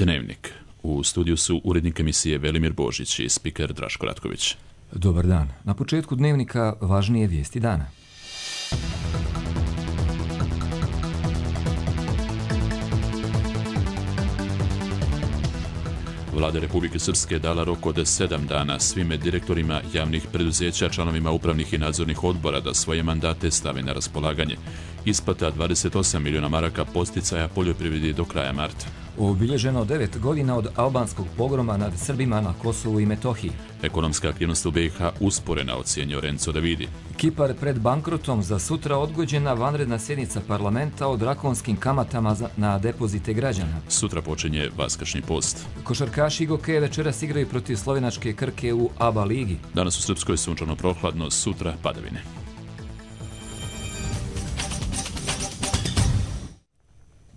Dnevnik. U studiju su urednik emisije Velimir Božić i spiker Draško Ratković. Dobar dan. Na početku Dnevnika važnije vijesti dana. Vlada Republike Srpske dala rok od 7 dana svim direktorima javnih preduzeća, članovima upravnih i nadzornih odbora da svoje mandate stave na raspolaganje. Isplata 28 miliona maraka podsticaja poljoprivredi do kraja marta. Obilježeno 9 godina od albanskog pogroma nad Srbima na Kosovu i Metohiji. Ekonomska aktivnost u BiH usporena, ocijenio Renzo Davidi. Kipar pred bankrotom, za sutra odgođena vanredna sjednica parlamenta o drakonskim kamatama na depozite građana. Sutra počinje Vaskršnji post. Košarkaši Gokeje večeras igraju protiv slovenačke Krke u ABA ligi. Danas u Srpskoj sunčano prohladno, sutra padavine.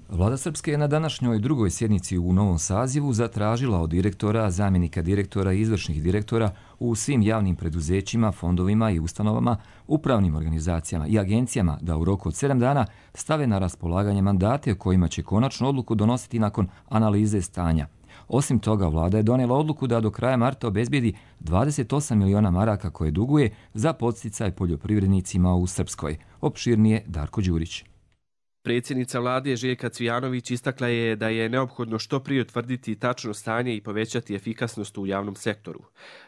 Vlada Srpske je na današnjoj drugoj sjednici u novom sazivu zatražila od direktora, zamjenika direktora i izvršnih direktora u svim javnim preduzećima, fondovima i ustanovama, upravnim organizacijama i agencijama da u roku od 7 dana stave na raspolaganje mandate o kojima će konačnu odluku donositi nakon analize stanja. Osim toga, vlada je donijela odluku da do kraja marta obezbijedi 28 miliona maraka koje duguje za podsticaj poljoprivrednicima u Srpskoj. Opširnije Darko Đurić. Predsjednica vlade Željka Cvijanović istakla je da je neophodno što prije utvrditi tačno stanje i povećati efikasnost u javnom sektoru.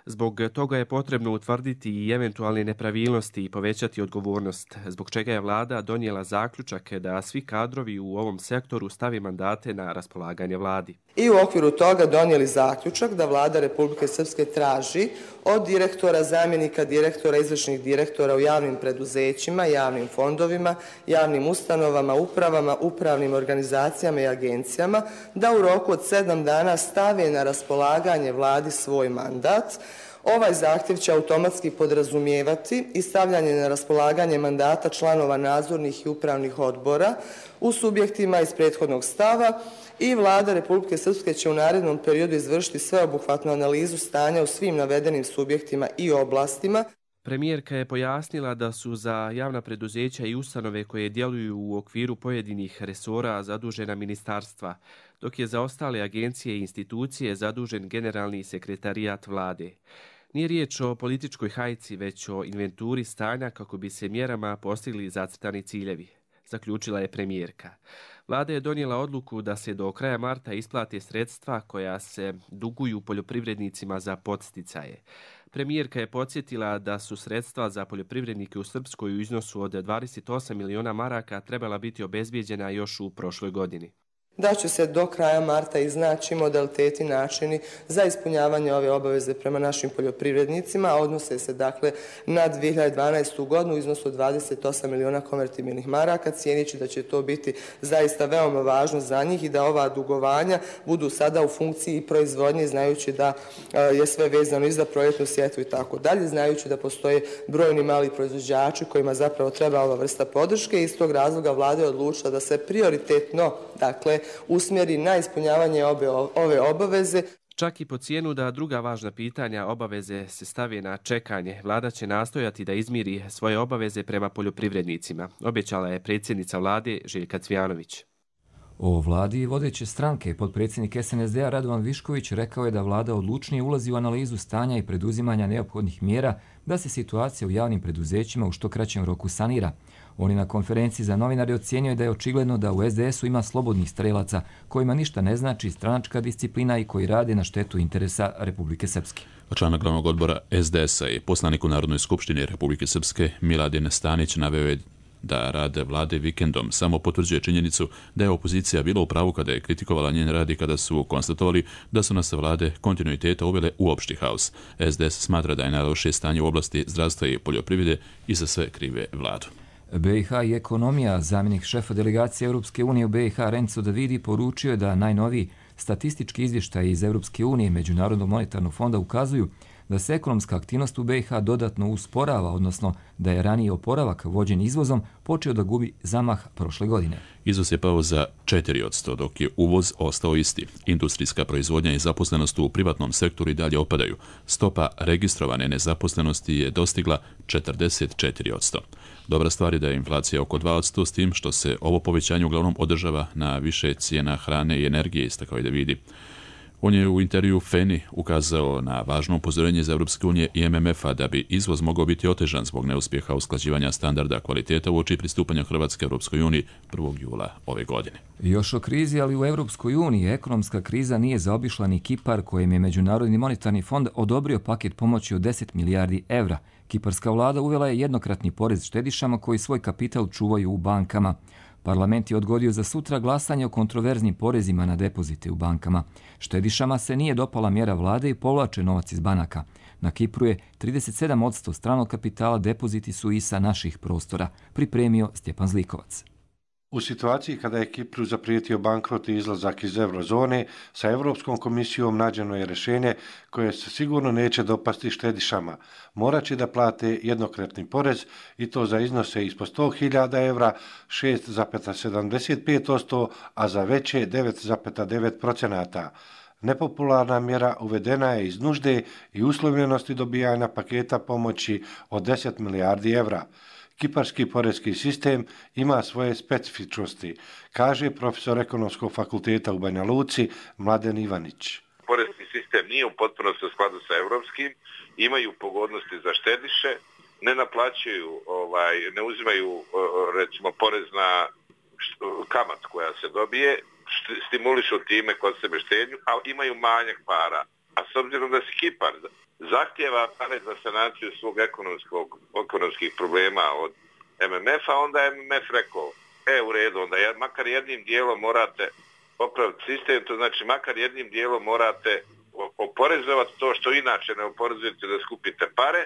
Zbog toga je potrebno utvrditi i eventualne nepravilnosti i povećati odgovornost, zbog čega je vlada donijela zaključak da svi kadrovi u ovom sektoru stavi mandate na raspolaganje vladi. I u okviru toga donijeli zaključak da vlada Republike Srpske traži od direktora, zamjenika direktora, izvršnih direktora u javnim preduzećima, javnim fondovima, javnim ustanovama, upravama, upravnim organizacijama i agencijama da u roku od 7 dana stave na raspolaganje vladi svoj mandat. Ovaj zahtjev će automatski podrazumijevati i stavljanje na raspolaganje mandata članova nadzornih i upravnih odbora u subjektima iz prethodnog stava i vlada Republike Srpske će u narednom periodu izvršiti sveobuhvatnu analizu stanja u svim navedenim subjektima i oblastima. Premijerka je pojasnila da su za javna preduzeća i ustanove koje djeluju u okviru pojedinih resora zadužena ministarstva, dok je za ostale agencije i institucije zadužen generalni sekretarijat vlade. Nije riječ o političkoj hajci, već o inventuri stanja kako bi se mjerama postigli zacrtani ciljevi, zaključila je premijerka. Vlada je donijela odluku da se do kraja marta isplate sredstva koja se duguju poljoprivrednicima za podsticaje. Premijerka je podsjetila da su sredstva za poljoprivrednike u Srpskoj u iznosu od 28 miliona maraka trebala biti obezbijeđena još u prošloj godini. Da će se do kraja marta iznaći modaliteti i načini za ispunjavanje ove obaveze prema našim poljoprivrednicima, a odnose se dakle na 2012. godinu u iznosu od 28 miliona konvertibilnih maraka, cijeneći da će to biti zaista veoma važno za njih i da ova dugovanja budu sada u funkciji proizvodnje, znajući da je sve vezano i za proljetnu sjetvu i tako dalje, znajući da postoje brojni mali proizvođači kojima zapravo treba ova vrsta podrške i iz tog razloga vlada je odlučila da se prioritetno, dakle, usmjeri na ispunjavanje ove obaveze. Čak i po cijenu da druga važna pitanja obaveze se stavi na čekanje, vlada će nastojati da izmiri svoje obaveze prema poljoprivrednicima, obećala je predsjednica vlade Željka Cvijanović. O vladi vodeće stranke, potpredsjednik SNSD-a Radovan Višković rekao je da vlada odlučnije ulazi u analizu stanja i preduzimanja neophodnih mjera da se situacija u javnim preduzećima u što kraćem roku sanira. On je na konferenciji za novinare ocijenio da je očigledno da u SDS-u ima slobodnih strelaca kojima ništa ne znači stranačka disciplina i koji rade na štetu interesa Republike Srpske. Članak glavnog odbora SDS-a i poslanik u Narodnoj skupštini Republike Srpske Miladin Stanić naveo je da rad vlade vikendom samo potvrđuje činjenicu da je opozicija bila u pravu kada je kritikovala njen rad i kada su konstatovali da su nas vlade kontinuiteta uvele u opšti haos. SDS smatra da je najlošije stanje u oblasti zdravstva i poljoprivrede i za sve krive vladu. BiH i ekonomija, zamjenik šefa delegacije Europske unije u BiH Renzo Davidi poručio je da najnoviji statistički izvještaji iz Europske unije i Međunarodnog monetarnog fonda ukazuju da se ekonomska aktivnost u BiH dodatno usporava, odnosno da je raniji oporavak vođen izvozom počeo da gubi zamah prošle godine. Izvoz je pao za 4%, dok je uvoz ostao isti. Industrijska proizvodnja i zaposlenost u privatnom sektoru i dalje opadaju. Stopa registrovane nezaposlenosti je dostigla 44%. Dobra stvar je da je inflacija oko 2%, s tim što se ovo povećanje uglavnom održava na više cijena hrane i energije, istakao je Davidi. On je u intervju FENI ukazao na važno upozorenje iz Europske unije i MMF-a da bi izvoz mogao biti otežan zbog neuspjeha usklađivanja standarda kvaliteta uoči pristupanja Hrvatske Europskoj uniji 1. jula ove godine. Još o krizi, ali u Europskoj uniji ekonomska kriza nije zaobišla ni Kipar, kojem je Međunarodni monetarni fond odobrio paket pomoći od 10 milijardi evra. Kiparska vlada uvela je jednokratni porez štedišama koji svoj kapital čuvaju u bankama. Parlament je odgodio za sutra glasanje o kontroverznim porezima na depozite u bankama. Štedišama se nije dopala mjera vlade i povlače novac iz banaka. Na Kipru je 37% stranog kapitala, depoziti su i sa naših prostora, pripremio Stjepan Zlikovac. U situaciji kada je Kipru zaprijetio bankrot i izlazak iz eurozone, sa Europskom komisijom nađeno je rješenje koje se sigurno neće dopasti štedišama. Morat će da plate jednokratni porez i to za iznose ispod 100.000 evra 6,75%, a za veće 9,9%. Nepopularna mjera uvedena je iz nužde i uslovljenosti dobijanja paketa pomoći od 10 milijardi evra. Kiparski porezki sistem ima svoje specifičnosti, kaže profesor Ekonomskog fakulteta u Banja Luci Mladen Ivanić. Porezki sistem nije u potpunosti u skladu sa europskim, imaju pogodnosti za štediše, ne naplaćuju, ne uzimaju recimo porez na kamat koja se dobije, stimulišu time kod sebe štednju, ali imaju manjak para. A s obzirom da se Kipar zahtjeva pare za sanaciju svog ekonomskih problema od MMF-a, onda je MMF rekao, u redu, onda makar jednim dijelom morate popraviti sistem, to znači makar jednim dijelom morate oporezovati to što inače ne oporezujete da skupite pare.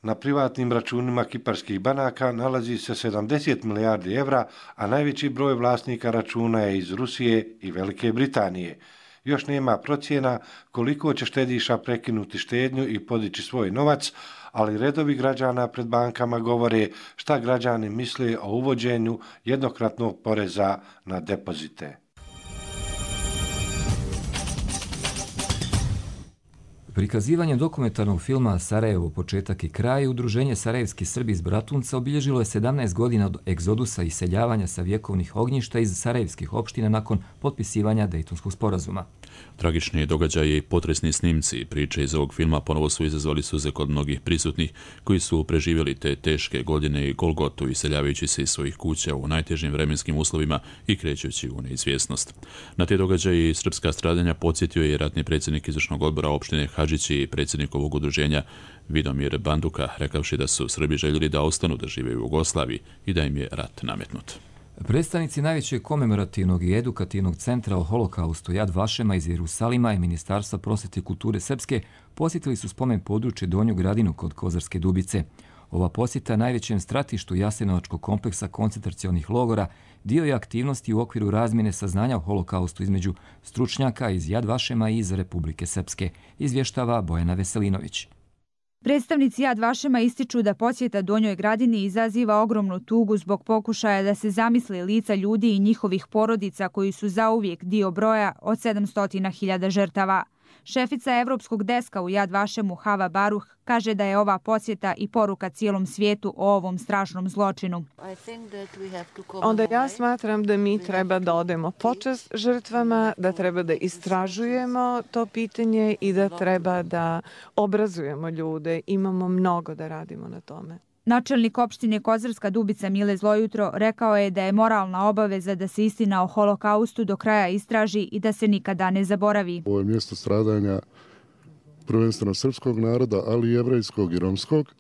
Na privatnim računima kiparskih banaka nalazi se 70 milijardi evra, a najveći broj vlasnika računa je iz Rusije i Velike Britanije. Još nema procjena koliko će štediša prekinuti štednju i podići svoj novac, ali redovi građana pred bankama govore šta građani misle o uvođenju jednokratnog poreza na depozite. Prikazivanjem dokumentarnog filma Sarajevo, početak i kraj, Udruženje Sarajevski Srbi iz Bratunca obilježilo je 17 godina od egzodusa i iseljavanja sa vjekovnih ognjišta iz sarajevskih opština nakon potpisivanja Dejtonskog sporazuma. Tragični događaji i potresni snimci i priče iz ovog filma ponovo su izazvali suze kod mnogih prisutnih koji su preživjeli te teške godine i golgotu, iseljavajući se iz svojih kuća u najtežim vremenskim uslovima i krećući u neizvjesnost. Na te događaje i srpska stradanja podsjetio je ratni predsjednik izvršnog odbora opštine Hadžići i predsjednik ovog udruženja Vidomir Banduka, rekavši da su Srbi željeli da ostanu da žive u Jugoslaviji i da im je rat nametnut. Predstavnici najvećeg komemorativnog i edukativnog centra o holokaustu Jad Vašema iz Jerusalima i Ministarstva prosvjete i kulture Srpske posjetili su spomen područje Donju Gradinu kod Kozarske Dubice. Ova posjeta najvećem stratištu Jasenovačkog kompleksa koncentracionih logora dio je aktivnosti u okviru razmjene saznanja o holokaustu između stručnjaka iz Jad Vašema i iz Republike Srpske, izvještava Bojana Veselinović. Predstavnici Jad Vašema ističu da posjeta Donjoj Gradini izaziva ogromnu tugu zbog pokušaja da se zamisli lica ljudi i njihovih porodica koji su zauvijek dio broja od 700.000 žrtava. Šefica Evropskog deska u Jad Vašemu Hava Baruh kaže da je ova posjeta i poruka cijelom svijetu o ovom strašnom zločinu. Onda ja smatram da mi treba da odemo počast žrtvama, da treba da istražujemo to pitanje i da treba da obrazujemo ljude. Imamo mnogo da radimo na tome. Načelnik opštine Kozarska Dubica Mile Zlojutro rekao je da je moralna obaveza da se istina o holokaustu do kraja istraži i da se nikada ne zaboravi. Ovo je mjesto stradanja prvenstveno srpskog naroda, ali i jevrejskog i romskog.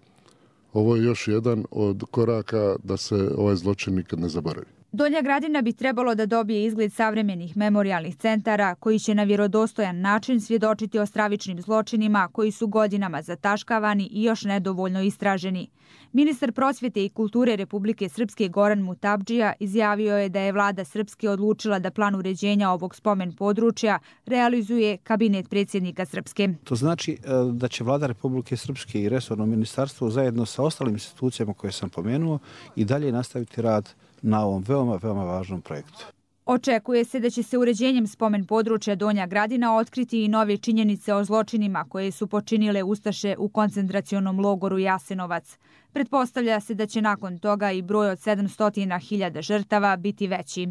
Ovo je još jedan od koraka da se ovaj zločin nikad ne zaboravi. Donja Gradina bi trebalo da dobije izgled savremenih memorijalnih centara koji će na vjerodostojan način svjedočiti o stravičnim zločinima koji su godinama zataškavani i još nedovoljno istraženi. Ministar prosvjete i kulture Republike Srpske Goran Mutabdžija izjavio je da je vlada Srpske odlučila da plan uređenja ovog spomen područja realizuje kabinet predsjednika Srpske. To znači da će vlada Republike Srpske i resorno ministarstvo zajedno sa ostalim institucijama koje sam pomenuo i dalje nastaviti rad na ovom veoma važnom projektu. Očekuje se da će se uređenjem spomen područja Donja Gradina otkriti i nove činjenice o zločinima koje su počinile ustaše u koncentracionom logoru Jasenovac. Pretpostavlja se da će nakon toga i broj od 700.000 žrtava biti veći.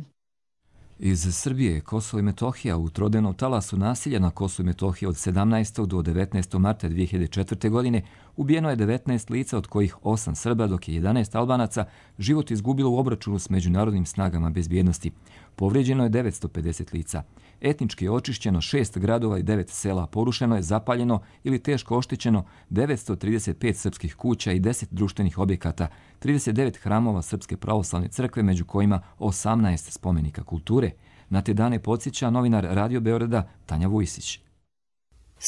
Iz Srbije, Kosovo i Metohija u trodenom talasu nasilja na Kosovu i Metohiji od 17. do 19. marta 2004. godine ubijeno je 19 lica, od kojih 8 Srba, dok je 11 Albanaca život izgubilo u obračunu s međunarodnim snagama bezbjednosti. Povrijeđeno je 950 lica. Etnički je očišćeno 6 gradova i 9 sela, porušeno je, zapaljeno ili teško oštećeno 935 srpskih kuća i 10 društvenih objekata, 39 hramova Srpske pravoslavne crkve, među kojima 18 spomenika kulture. Na te dane podsjeća novinar Radio Beograda Tanja Vujsić.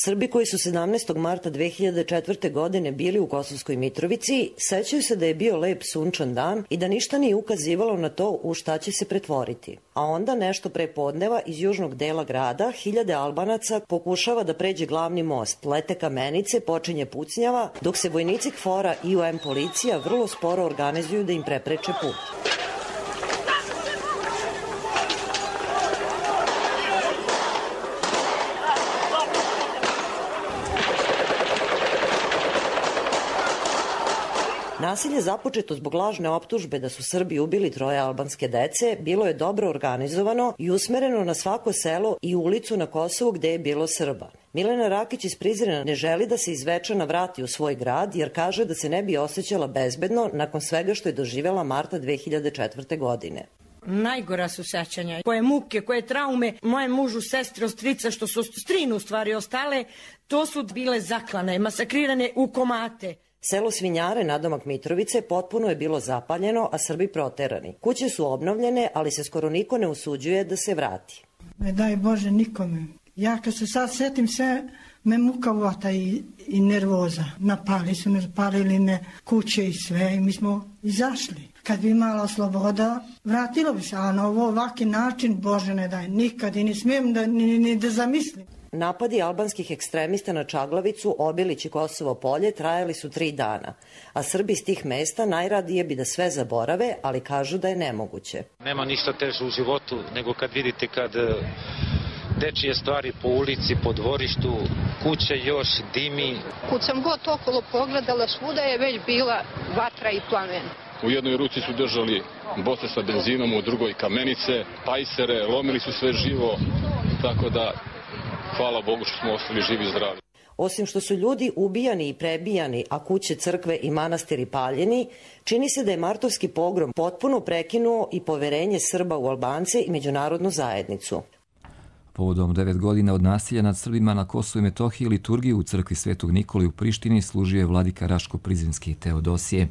Srbi koji su 17. marta 2004. godine bili u Kosovskoj Mitrovici sećaju se da je bio lep sunčan dan i da ništa nije ukazivalo na to u šta će se pretvoriti. A onda nešto pre podneva iz južnog dela grada hiljade Albanaca pokušava da pređe glavni most, lete kamenice, počinje pucnjava, dok se vojnici KFOR-a i UN policija vrlo sporo organizuju da im prepreče put. Nasilje započeto zbog lažne optužbe da su Srbi ubili 3 albanske dece bilo je dobro organizovano i usmereno na svako selo i ulicu na Kosovu gde je bilo Srba. Milena Rakić iz Prizrena ne želi da se iz Zvečana vrati u svoj grad jer kaže da se ne bi osjećala bezbedno nakon svega što je doživjela marta 2004. godine. Najgora su sećanja, koje muke, koje traume, moje mužu, sestri, strica, što su strinu u stvari ostale, to su bile zaklane, masakrirane u komate. Selo Svinjare, nadomak Mitrovice, potpuno je bilo zapaljeno, a Srbi proterani. Kuće su obnovljene, ali se skoro niko ne usuđuje da se vrati. Ne daj Bože nikome. Ja kad se sad setim sve, me muka uvata i nervoza. Napali su me, zapalili me kuće i sve i mi smo izašli. Kad bi imala sloboda, vratilo bi se, a na ovaki način, Bože ne daj, nikad i ne smijem ni da zamislim. Napadi albanskih ekstremista na Čaglavicu, Obilić i Kosovo polje trajali su 3 dana, a Srbi iz tih mesta najradije bi da sve zaborave, ali kažu da je nemoguće. Nema ništa teže u životu nego kad vidite kad dečije stvari po ulici, po dvorištu, kuće još dimi. Kud sam god okolo pogledala, svuda je već bila vatra i plamen. U jednoj ruci su držali boce sa benzinom, u drugoj kamenice, pajsere, lomili su sve živo, tako da hvala Bogu što smo ostali živi i zdravi. Osim što su ljudi ubijani i prebijani, a kuće, crkve i manastiri paljeni, čini se da je martovski pogrom potpuno prekinuo i poverenje Srba u Albance i međunarodnu zajednicu. Povodom 9 godina od nasilja nad Srbima na Kosovu i Metohiji liturgiju u crkvi Svetog Nikole u Prištini služio je vladika Raško-Prizrenski Teodosije.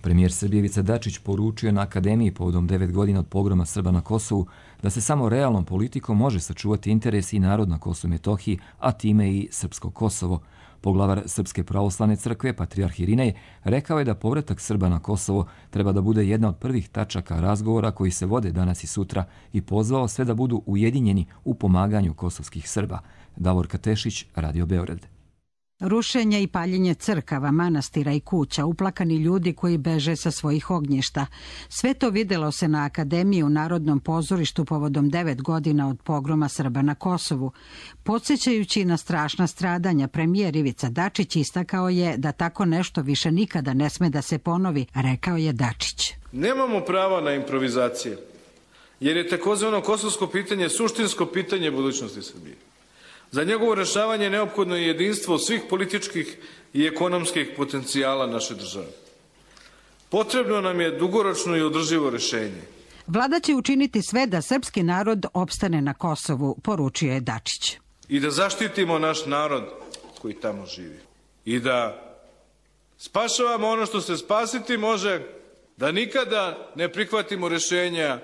Premijer Srbije Ivica Dačić poručio na Akademiji povodom 9 godina od pogroma Srba na Kosovu da se samo realnom politikom može sačuvati interes i narod na Kosovu i Metohiji, a time i srpsko Kosovo. Poglavar Srpske pravoslavne crkve, patrijarh Irinej, rekao je da povratak Srba na Kosovo treba da bude jedna od prvih tačaka razgovora koji se vode danas i sutra i pozvao sve da budu ujedinjeni u pomaganju kosovskih Srba. Davor Katešić, Radio Beograd. Rušenje i paljenje crkava, manastira i kuća, uplakani ljudi koji beže sa svojih ognjišta. Sve to videlo se na Akademiji u Narodnom pozorištu povodom 9 godina od pogroma Srba na Kosovu. Podsjećajući na strašna stradanja, premijer Ivica Dačić istakao je da tako nešto više nikada ne sme da se ponovi, rekao je Dačić. Nemamo prava na improvizacije, jer je takozvano kosovsko pitanje suštinsko pitanje budućnosti Srbije. Za njegovo rešavanje neophodno je jedinstvo svih političkih i ekonomskih potencijala naše države. Potrebno nam je dugoročno i održivo rešenje. Vlada će učiniti sve da srpski narod opstane na Kosovu, poručio je Dačić. I da zaštitimo naš narod koji tamo živi. I da spašavamo ono što se spasiti može, da nikada ne prihvatimo rešenja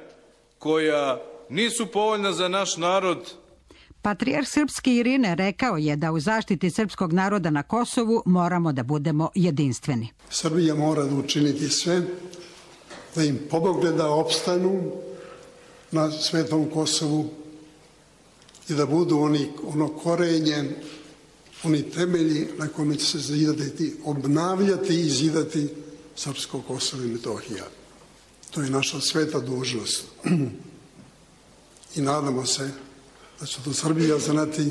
koja nisu povoljna za naš narod. Patrijarh srpski Irine rekao je da u zaštiti srpskog naroda na Kosovu moramo da budemo jedinstveni. Srbija mora da učiniti sve da im pomogne da opstanu na svetom Kosovu i da budu ono korenje, oni temelji na kome će se zidati, obnavljati i zidati srpsko Kosovo i Metohija. To je naša sveta dužnost. I nadamo se da će to Srbija znati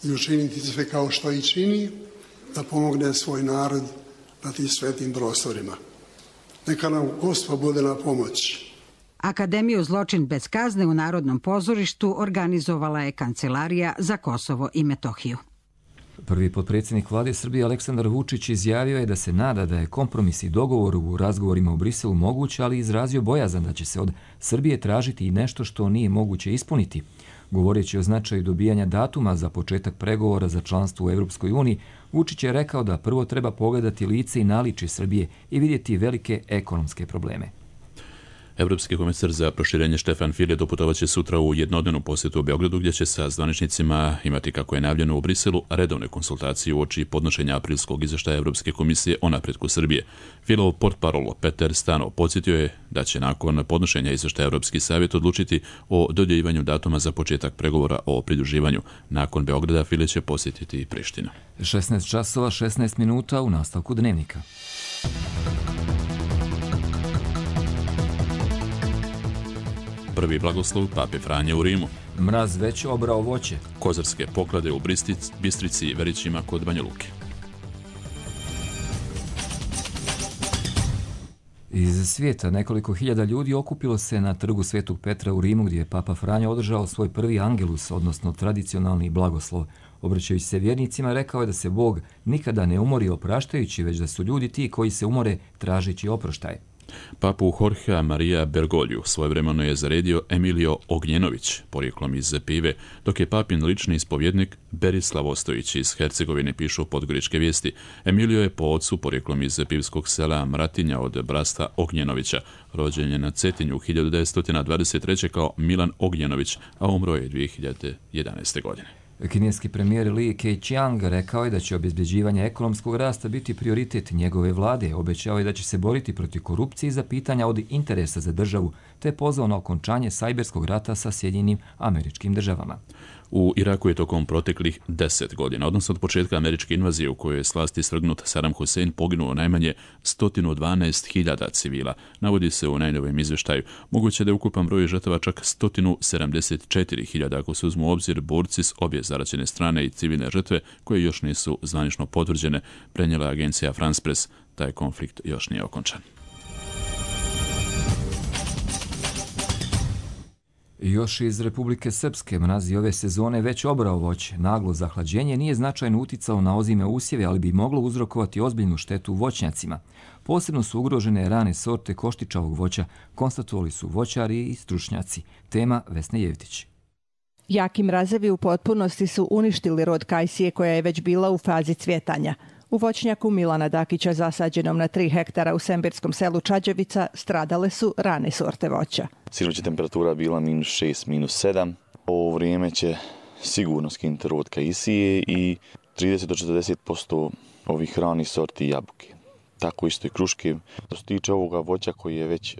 i učiniti sve kao što i čini, da pomogne svoj narod na tim svetim prostorima. Neka nam Gospod bude na pomoć. Akademiju Zločin bez kazne u Narodnom pozorištu organizovala je Kancelarija za Kosovo i Metohiju. Prvi potpredsjednik vlade Srbije Aleksandar Vučić izjavio je da se nada da je kompromis i dogovor u razgovorima u Briselu moguć, ali izrazio bojazan da će se od Srbije tražiti i nešto što nije moguće ispuniti. Govoreći o značaju dobijanja datuma za početak pregovora za članstvo u Europskoj uniji, Vučić je rekao da prvo treba pogledati lice i naličje Srbije i vidjeti velike ekonomske probleme. Evropski komisar za proširenje Štefan File doputovaće sutra u jednodnevnu posjetu u Beogradu, gdje će sa zvaničnicima imati, kako je najavljeno u Briselu, redovne konsultacije uoči podnošenja aprilskog izvještaja Evropske komisije o napretku Srbije. Filov portparol Peter Stanov podsjetio je da će nakon podnošenja izvještaja Evropski savjet odlučiti o dodjeljivanju datuma za početak pregovora o pridruživanju. Nakon Beograda File će posjetiti Prištinu. 16 časova 16 minuta u nastavku Dnevnika. Prvi blagoslov Pape Franje u Rimu. Mraz već obrao voće. Kozarske poklade u Bistrici i Verićima kod Banja Luke. Iz svijeta nekoliko hiljada ljudi okupilo se na trgu Svetog Petra u Rimu, gdje je Papa Franjo održao svoj prvi angelus, odnosno tradicionalni blagoslov. Obraćajući se vjernicima, rekao je da se Bog nikada ne umori opraštajući, već da su ljudi ti koji se umore tražeći oproštaj. Papu Jorgea Maria Bergogliju svojevremeno je zaredio Emilio Ognjenović, porijeklom iz Pive, dok je papin lični ispovjednik Berislav Ostojić iz Hercegovine, pišu Podgoričke vijesti. Emilio je po ocu porijeklom iz pivskog sela Mratinja od brasta Ognjenovića. Rođen je na Cetinju 1923. kao Milan Ognjenović, a umro je 2011. godine. Kineski premijer Li Keqiang rekao je da će obezbeđivanje ekonomskog rasta biti prioritet njegove vlade. Obećao je da će se boriti protiv korupcije za pitanja od interesa za državu, te pozvao na okončanje sajberskog rata sa Sjedinjenim Američkim Državama. U Iraku je tokom proteklih 10 godina, odnosno od početka američke invazije u kojoj je s vlasti svrgnut Saddam Hussein, poginuo najmanje 112.000 civila. Navodi se u najnovijem izvještaju. Moguće da je ukupan broj žrtava čak 174.000 ako se uzmu u obzir borci s obje zaraćene strane i civilne žrtve koje još nisu zvanično potvrđene, prenijela agencija France Press. Taj konflikt još nije okončan. Još iz Republike Srpske, mraz ove sezone već obrao voće. Naglo zahlađenje nije značajno uticalo na ozime usjeve, ali bi moglo uzrokovati ozbiljnu štetu voćnjacima. Posebno su ugrožene rane sorte koštičavog voća, konstatovali su voćari i stručnjaci. Tema Vesne Jevtić. Jaki mrazevi u potpunosti su uništili rod kajsije koja je već bila u fazi cvjetanja. U voćnjaku Milana Dakića, zasađenom na 3 hektara u sembirskom selu Čađevica, stradale su rane sorte voća. Sinoć je temperatura bila -6, -7. Ovo vrijeme će sigurno skinuti rod kajsije i 30 do 40% ovih ranih sorti jabuke. Tako isto i kruške. Što se tiče ovoga voća koji je već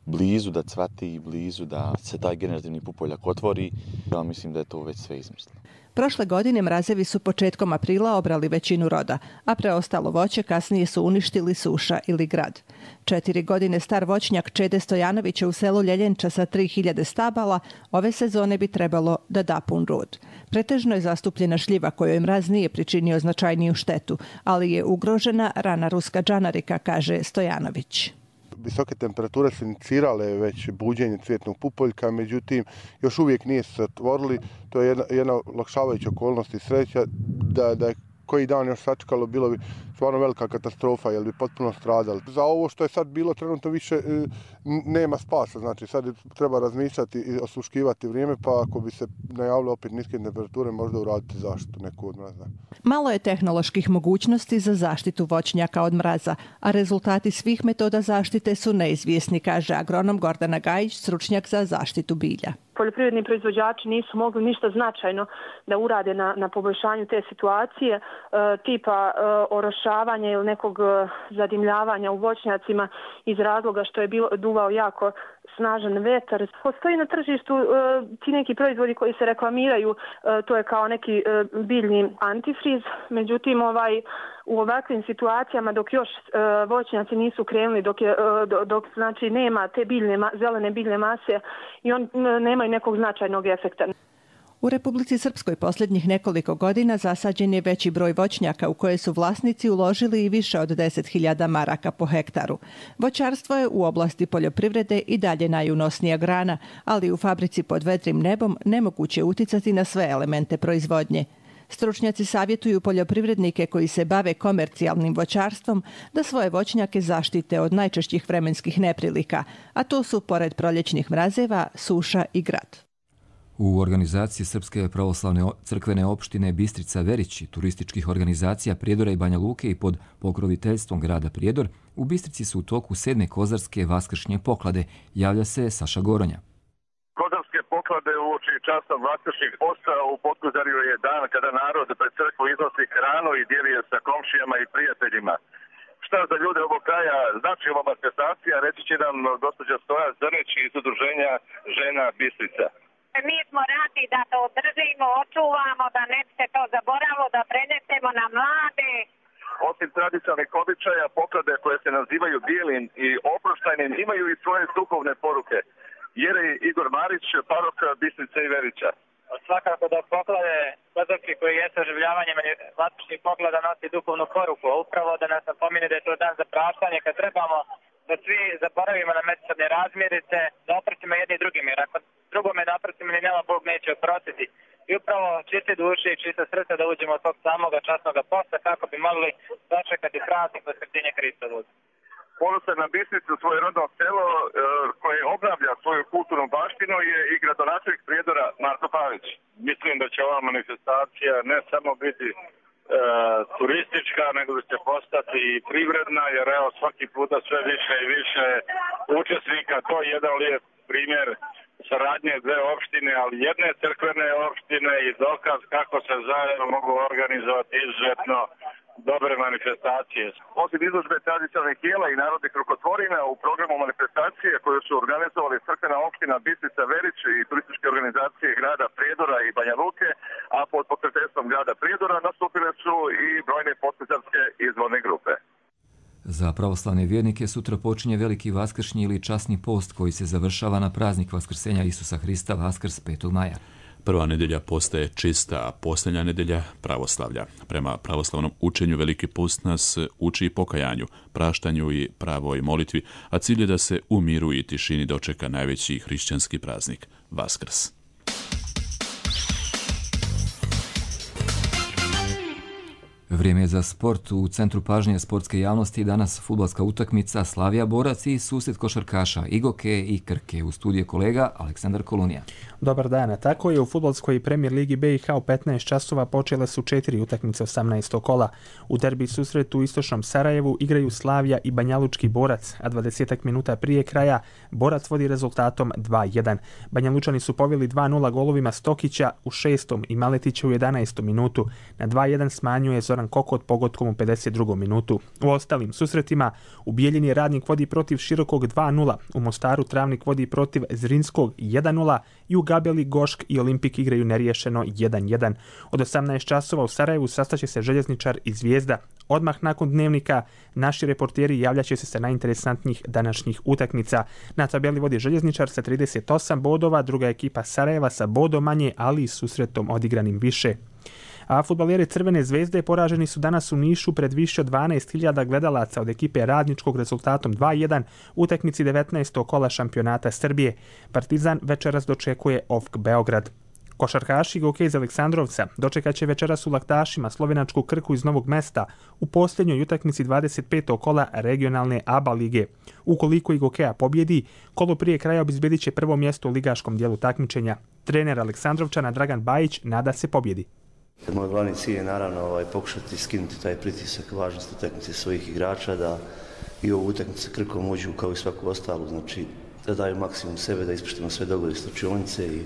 blizu da cvati i blizu da se taj generativni pupoljak otvori, ja mislim da je to već sve izmislilo. Prošle godine mrazevi su početkom aprila obrali većinu roda, a preostalo voće kasnije su uništili suša ili grad. 4 godine star voćnjak Čede Stojanovića u selu Ljeljenča sa 3000 stabala ove sezone bi trebalo da da pun rod. Pretežno je zastupljena šljiva kojoj mraz nije pričinio značajniju štetu, ali je ugrožena rana ruska džanarika, kaže Stojanović. Visoke temperature su inicirale već buđenje cvjetnog pupoljka, međutim još uvijek nije se otvorili. To je jedna olakšavajuća okolnost i sreća da je koji dan još sačekalo, bilo bi stvarno velika katastrofa, jer bi potpuno stradali. Za ovo što je sad bilo trenutno više nema spasa, znači sad treba razmišljati i osluškivati vrijeme, pa ako bi se najavile opet niske temperature, možda uraditi zaštitu neku od mraza. Malo je tehnoloških mogućnosti za zaštitu voćnjaka od mraza, a rezultati svih metoda zaštite su neizvjesni, kaže agronom Gordana Gajić, stručnjak za zaštitu bilja. Poljoprivredni proizvođači nisu mogli ništa značajno da urade na poboljšanju te situacije, tipa orošavanja ili nekog zadimljavanja u voćnjacima iz razloga što je duvao jako snažan vetar. Postoji na tržištu ti neki proizvodi koji se reklamiraju, to je kao neki biljni antifriz, međutim u ovakvim situacijama dok još voćnjaci nisu krenuli, dok znači nema te zelene biljne mase i on nemaju nekog značajnog efekta. U Republici Srpskoj posljednjih nekoliko godina zasađen je veći broj voćnjaka u koje su vlasnici uložili i više od 10.000 maraka po hektaru. Voćarstvo je u oblasti poljoprivrede i dalje najunosnija grana, ali u fabrici pod vedrim nebom nemoguće uticati na sve elemente proizvodnje. Stručnjaci savjetuju poljoprivrednike koji se bave komercijalnim voćarstvom da svoje voćnjake zaštite od najčešćih vremenskih neprilika, a to su, pored proljećnih mrazeva, suša i grad. U organizaciji Srpske pravoslavne crkvene opštine Bistrica Verić i turističkih organizacija Prijedora i Banja Luke i pod pokroviteljstvom grada Prijedor, u Bistrici su u toku 7. kozarske vaskršnje poklade. Javlja se Saša Goronja. Kozarske poklade uoči časta vaskršnjih posta u Podkozarju je dan kada narod pred crkvu iznosi hranu i dijeli je sa komšijama i prijateljima. Šta za ljude ovog kraja znači ova manifestacija, reći će nam gospođa Stoja Zrnić iz udruženja Žena Bistrica. Mi smo radi da to održimo, očuvamo, da ne bi se to zaboravilo, da prenesemo na mlade. Osim tradicionalnih običaja, poklade koje se nazivaju bijelim i oproštajnim imaju i svoje duhovne poruke. Jerej Igor Marić, parok Bistrice i Verića. Svakako da poklade kozarski koji je saživljavanje vaskršnjih poklada nosi duhovnu poruku, a upravo da nas napomine da je to dan za praštanje kad trebamo da svi zaboravimo na međusobne razmirice, da oprostimo jedni drugim, jer ako drugome ne oprostimo ni nema Bog neće oprostiti. I upravo čiste duše i čiste srca da uđemo od tog samoga časnoga posta kako bi mogli dočekati praznik Vaskrsenja Hristovoga. Ponosan na Bistricu, svoje rodno selo koje obnavlja svoju kulturnu baštinu je i gradonačelnik Prijedora Marko Pavić. Mislim da će ova manifestacija ne samo biti turistička, nego da će postati i privredna, jer evo svaki puta sve više i više učesnika. To je jedan lijep primjer saradnje dve opštine, ali jedne crkvene opštine i dokaz kako se zajedno mogu organizovati izuzetno dobre manifestacije. Osim izložbe tradicionalnih jela i narodnih rukotvorina u programu manifestacije koju su organizovali crkvena opština Bistrica Verić i turističke organizacije grada Prijedora i Banja Luke, a pod pokroviteljstvom grada Prijedora nastupile su i brojne podkozarske izborne grupe. Za pravoslavne vjernike sutra počinje veliki vaskršnji ili časni post koji se završava na praznik Vaskrsenja Isusa Hrista, Vaskrs 5. maja. Prva nedelja posta je čista, a posljednja nedelja pravoslavlja. Prema pravoslavnom učenju Veliki post nas uči pokajanju, praštanju i pravoj molitvi, a cilj je da se u miru i tišini dočeka najveći hrišćanski praznik, Vaskrs. Vrijeme je za sport. U centru pažnje sportske javnosti danas fudbalska utakmica Slavija Borac i susret košarkaša Igoke i Krke. U studiju kolega Aleksandar Kolunija. Dobar dan, tako je u fudbalskoj Premier Ligi BiH u 15 časova počele su 4 utakmice 18. kola. U derbi susretu u istočnom Sarajevu igraju Slavija i Banjalučki Borac, a 20 minuta prije kraja Borac vodi rezultatom 2-1. Banjalučani su poveli 2-0 golovima Stokića u 6. i Maletića u 11. minutu. Na 2-1 smanjuje Zoran Kokot pogotkom u 52. minutu. U ostalim susretima u Bijeljini Radnik vodi protiv Širokog 2-0, u Mostaru Travnik vodi protiv Zrinskog 1-0 i u Gabeli Gošk i Olimpik igraju neriješeno 1-1. Od 18 časova u Sarajevu sastaće se Željezničar i Zvijezda. Odmah nakon dnevnika naši reporteri javljaće se sa najinteresantnijih današnjih utakmica. Na tabeli vodi Željezničar sa 38 bodova, druga ekipa Sarajeva sa bodom manje, ali i susretom odigranim više. A fudbaleri Crvene zvezde poraženi su danas u Nišu pred više od 12.000 gledalaca od ekipe Radničkog rezultatom 2-1 u utakmici 19. kola šampionata Srbije. Partizan večeras dočekuje OFK Beograd. Košarkaši Goke iz Aleksandrovca dočekat će večeras u Laktašima slovenačku Krku iz Novog Mesta u posljednjoj utakmici 25. kola regionalne ABA lige. Ukoliko i Gokea pobjedi, kolo prije kraja obezbedit će prvo mjesto u ligaškom dijelu takmičenja. Trener Aleksandrovčana Dragan Bajić nada se pobjedi. Moj glavni cilj je naravno pokušati skinuti taj pritisak važnosti utakmice svojih igrača, da i ovu utakmicu sa Krkom uđu kao i svaku ostalu, znači da daju maksimum sebe, da ispoštujemo sve dogovore s učionice i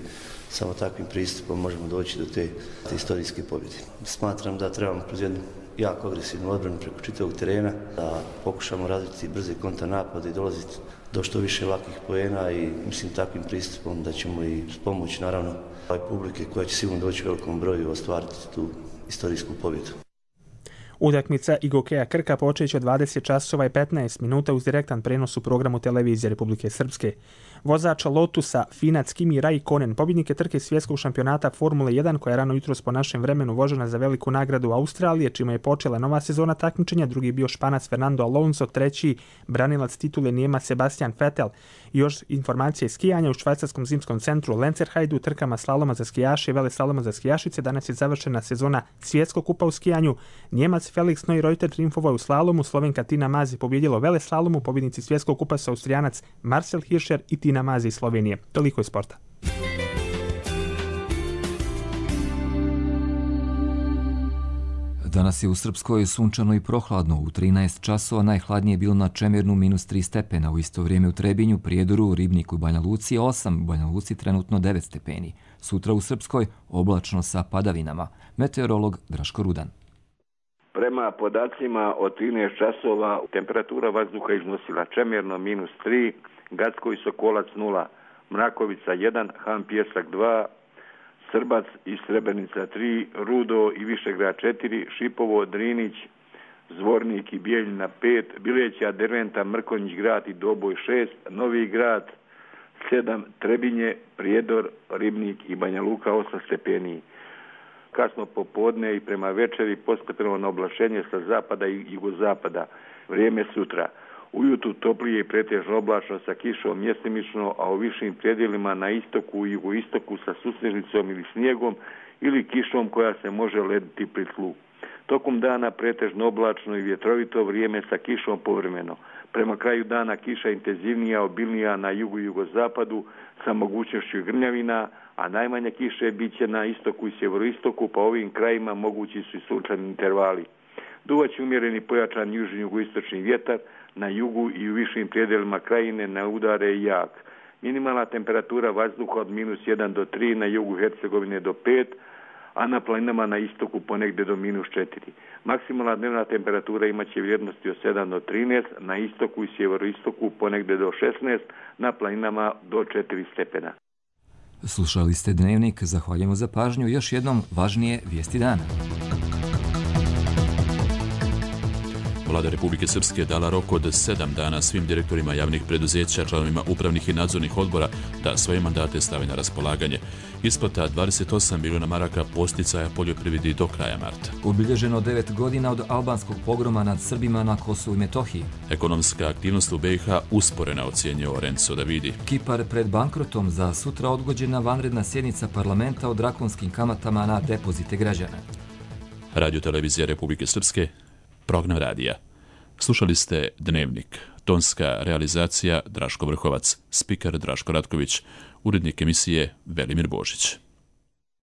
samo takvim pristupom možemo doći do te istorijske pobjede. Smatram da trebamo kroz jednu jako agresivnu odbranu preko čitavog terena, da pokušamo raditi brze kontranapade i dolaziti do što više lakih poena i mislim takvim pristupom da ćemo i s pomoć naravno publike koja će sigurno doći u velikom broju ostvariti tu istorijsku pobjedu. Utakmica Gokeja Krka počeće od 20 časova i 15 minuta uz direktan prenos u programu televizije Republike Srpske. Vozač Lotusa Finac Kimi Raikkonen, pobjednik je trke svjetskog šampionata Formule 1 koja je rano jutros po našem vremenu vožena za veliku nagradu Australije, čime je počela nova sezona takmičenja, drugi bio Španac Fernando Alonso, treći branilac titule Nijemac Sebastian Vettel. I još informacije skijanja u švajcarskom zimskom centru Lenzerheidu, trkama slaloma za skijaše i veleslaloma za skijašice. Danas je završena sezona svjetskog kupa u skijanju. Njemac Felix Neureuter triumfovao u slalomu, Slovenka Tina Maze pobjedila u veleslalomu, pobjednici svjetskog kupa su Austrijanac Marcel Hirscher i Tina Maze iz Slovenije. Toliko je sporta. Danas je u Srpskoj sunčano i prohladno. U 13 časova najhladnije je bilo na Čemernu -3 stepena. U isto vrijeme u Trebinju, Prijedoru, Ribniku i Banja Luci 8, u Banja Luci trenutno 9 stepeni. Sutra u Srpskoj oblačno sa padavinama. Meteorolog Draško Rudan. Prema podacima od 13 časova temperatura vazduha iznosila Čemerno -3, Gacko i Sokolac 0, Mrakovica 1, Han Pjesak 2, Srbac i Srebrenica 3, Rudo i Višegrad 4, Šipovo, Drinić, Zvornik i Bijeljina 5, Bileća, Derventa, Mrkonjić grad i Doboj 6, Novi grad 7, Trebinje, Prijedor, Ribnik i Banja Luka 8 stepeni. Kasno popodne i prema večeri postepeno na oblačenje sa zapada i jugozapada. Vrijeme sutra. Ujutru toplije i pretežno oblačno sa kišom mjestimično, a u višim predjelima na istoku i jugoistoku sa susnežnicom ili snijegom ili kišom koja se može lediti pri tlu. Tokom dana pretežno oblačno i vjetrovito, vrijeme sa kišom povremeno. Prema kraju dana kiša intenzivnija, obilnija na jugu i jugozapadu sa mogućnošću grmljavina, a najmanje kiše bit će na istoku i sjeveroistoku, pa ovim krajima mogući su i sunčani intervali. Duvaće umjereni pojačan južni jugoistočni vjetar, na jugu i u višim predjelima krajine na udare i jak. Minimalna temperatura vazduha od -1 do 3, na jugu Hercegovine do 5, a na planinama na istoku ponegdje do -4. Maksimalna dnevna temperatura imaće vrijednosti od 7 do 13, na istoku i sjeveroistoku ponegdje do 16, na planinama do 4 stepena. Slušali ste Dnevnik, zahvaljujemo za pažnju. Još jednom važnije vijesti dana. Vlada Republike Srpske dala rok od 7 dana svim direktorima javnih preduzeća, članovima upravnih i nadzornih odbora da svoje mandate stave na raspolaganje. Isplata 28 milijuna maraka posticaja poljoprivredi do kraja marta. Obilježeno 9 godina od albanskog pogroma nad Srbima na Kosovu i Metohiji. Ekonomska aktivnost u BiH usporena, ocjenjuje Renzo Davidi. Kipar pred bankrotom, za sutra odgođena vanredna sjednica parlamenta o drakonskim kamatama na depozite građana. Radio televizija Republike Srpske, program radija. Slušali ste Dnevnik. Tonska realizacija Draško Vrhovac, spiker Draško Ratković, urednik emisije Velimir Božić.